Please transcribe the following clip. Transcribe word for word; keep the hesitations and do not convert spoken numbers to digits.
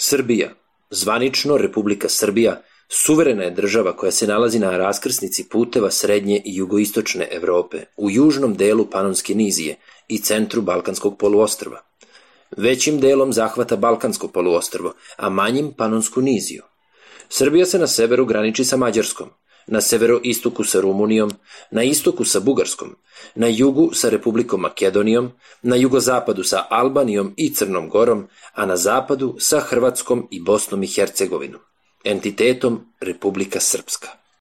Srbija, zvanično Republika Srbija, suverena je država koja se nalazi na raskrsnici puteva srednje i jugoistočne Evrope, u južnom delu Panonske nizije i centru Balkanskog poluostrva. Većim delom zahvata Balkansko poluostrvo, a manjim Panonsku niziju. Srbija se na severu graniči sa Mađarskom, na severoistoku sa Rumunijom, na istoku sa Bugarskom, na jugu sa Republikom Makedonijom, na jugozapadu sa Albanijom i Crnom Gorom, a na zapadu sa Hrvatskom i Bosnom i Hercegovinom, entitetom Republika Srpska.